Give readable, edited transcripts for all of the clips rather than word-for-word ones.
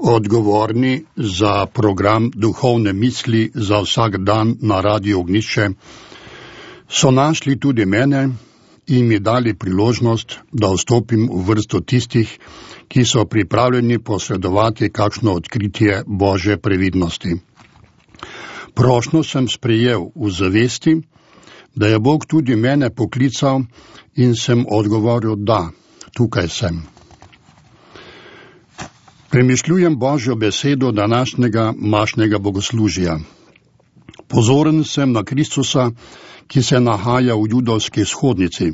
Odgovorni za program Duhovne misli za vsak dan na Radiu Ognjišče so našli tudi mene in mi dali priložnost, da vstopim v vrsto tistih, ki so pripravljeni posredovati kakšno odkritje Božje previdnosti. Prošnjo sem sprejel v zavesti, da je Bog tudi mene poklical in sem odgovoril da, tukaj sem. Premišljujem Božjo besedo današnjega mašnega bogoslužja. Pozoren sem na Kristusa, ki se nahaja v judovski shodnici.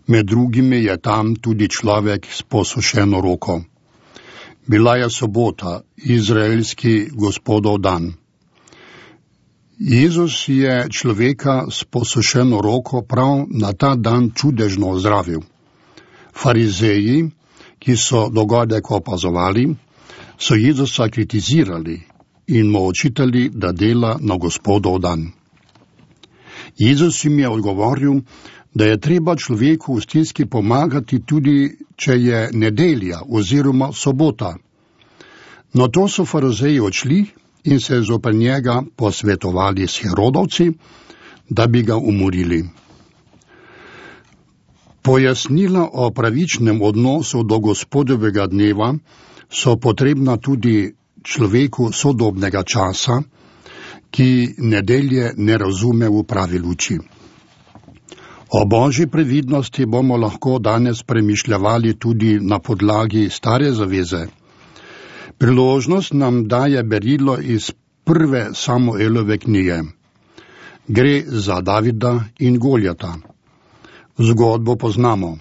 Med drugimi je tam tudi človek s posušeno roko. Bila je sobota, izraelski Gospodov dan. Jezus je človeka s posušeno roko prav na ta dan čudežno ozdravil. Farizeji, ki so dogodek opazovali, so Jezusa kritizirali in mu očitali, da dela na Gospodov dan. Jezus jim je odgovoril, da je treba človeku v stiski pomagati tudi, če je nedelja oziroma sobota. No to so farizeji odšli in se zoper njega posvetovali s Herodovci, da bi ga umorili. Pojasnila o pravičnem odnosu do Gospodovega dneva so potrebna tudi človeku sodobnega časa, ki nedelje ne razume v pravi luči. O Božji previdnosti bomo lahko danes premišljavali tudi na podlagi Stare zaveze. Priložnost nam daje berilo iz prve Samuelove knjige. Gre za Davida in Goljata. Zgodbo poznamo.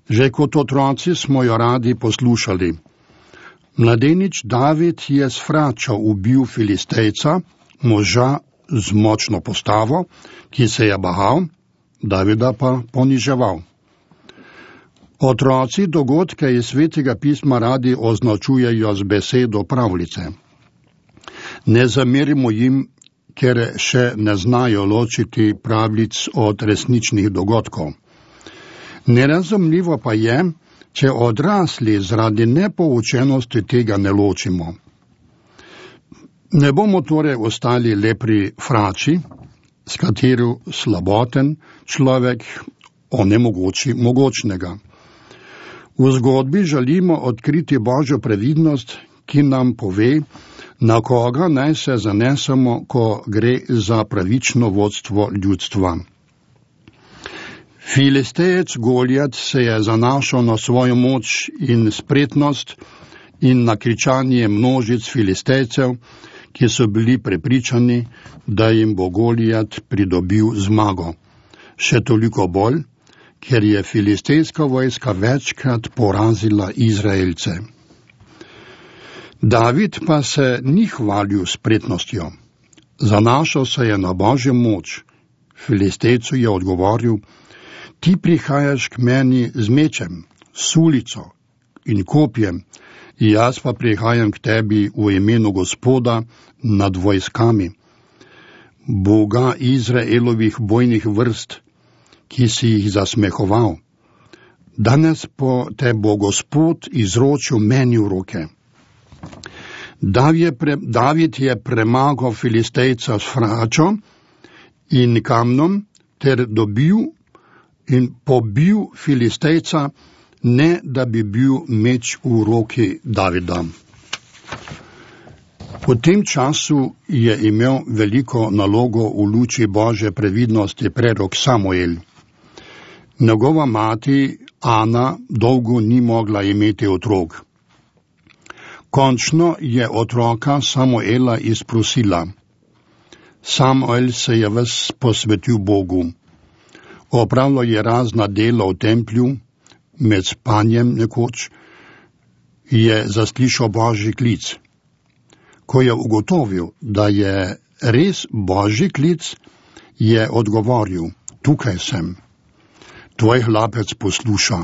Že kot otroci smo jo radi poslušali. Mladenič David je s fračo ubil Filistejca, moža z močno postavo, ki se je bahal, Davida pa poniževal. Otroci dogodke iz Svetega pisma radi označujejo z besedo pravljice. Ne zamerimo jim, ker še ne znajo ločiti pravljic od resničnih dogodkov. Nerazumljivo pa je, če odrasli zaradi nepoučenosti tega ne ločimo. Ne bomo torej ostali le pri frači, s katero slaboten človek onemogoči mogočnega. V zgodbi želimo odkriti Božjo previdnost, ki nam pove, na koga naj se zanesemo, ko gre za pravično vodstvo ljudstva. Filistejec Goljat se je zanašal na svojo moč in spretnost in na kričanje množic Filistejcev, ki so bili prepričani, da jim bo Goljat pridobil zmago. Še toliko bolj, ker je filistejska vojska večkrat porazila Izraelce. David pa se ni hvalil spretnostjo. Zanašal se je na Božjo moč. Filistejcu je odgovoril, ti prihajaš k meni z mečem, sulico in kopjem, jaz pa prihajam k tebi v imenu Gospoda nad vojskami, Boga Izraelovih bojnih vrst, ki si jih zasmehoval. Danes te bo Gospod izročil meni v roke. David je premagal Filistejca s fračo in kamnom ter dobil in pobil Filistejca, ne da bi bil meč v roki Davida. V tem času je imel veliko nalogo v luči Božje previdnosti prerok Samuel. Njegova mati Ana dolgo ni mogla imeti otrok. Končno je otroka Samuela izprosila. Samuel se je ves posvetil Bogu. Opravljal je razna dela v templju, med spanjem nekoč je zaslišal Božji klic. Ko je ugotovil, da je res Božji klic, je odgovoril, tukaj sem. Tvoj hlapec posluša.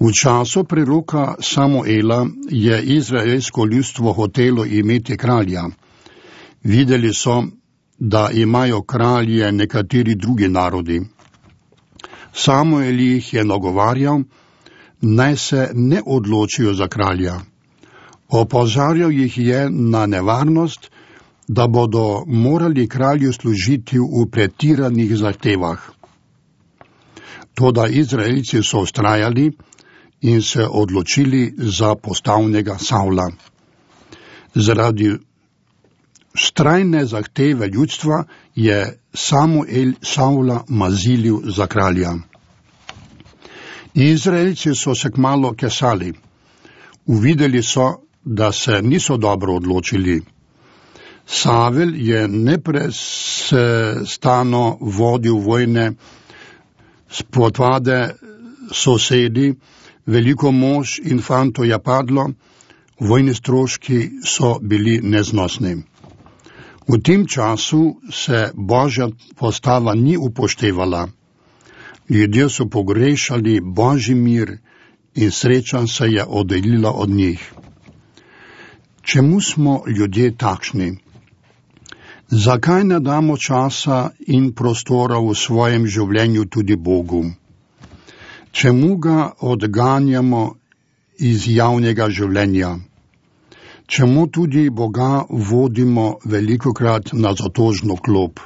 V času preroka Samuela je izraelsko ljudstvo hotelo imeti kralja. Videli so, da imajo kralje nekateri drugi narodi. Samuel jih je nagovarjal, naj se ne odločijo za kralja. Opozarjal jih je na nevarnost, da bodo morali kralju služiti v pretiranih zahtevah. Toda Izraelci so vztrajali in se odločili za postavnega Savla. Zaradi vztrajne zahteve ljudstva je Samuel Savla mazilil za kralja. Izraelci so se kmalu kesali. Uvideli so, da se niso dobro odločili. Savel je neprestano vodil vojne, spotvade sosedi, veliko mož in fantov je padlo, vojni stroški so bili neznosni. V tem času se Božja postava ni upoštevala. Ljudje so pogrešali Božji mir in sreča se je oddaljila od njih. Čemu smo ljudje takšni? Zakaj ne damo časa in prostora v svojem življenju tudi Bogu? Čemu ga odganjamo iz javnega življenja? Čemu tudi Boga vodimo velikokrat na zatožno klop?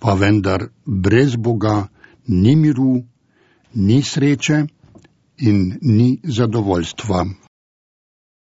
Pa vendar brez Boga ni miru, ni sreče in ni zadovoljstva.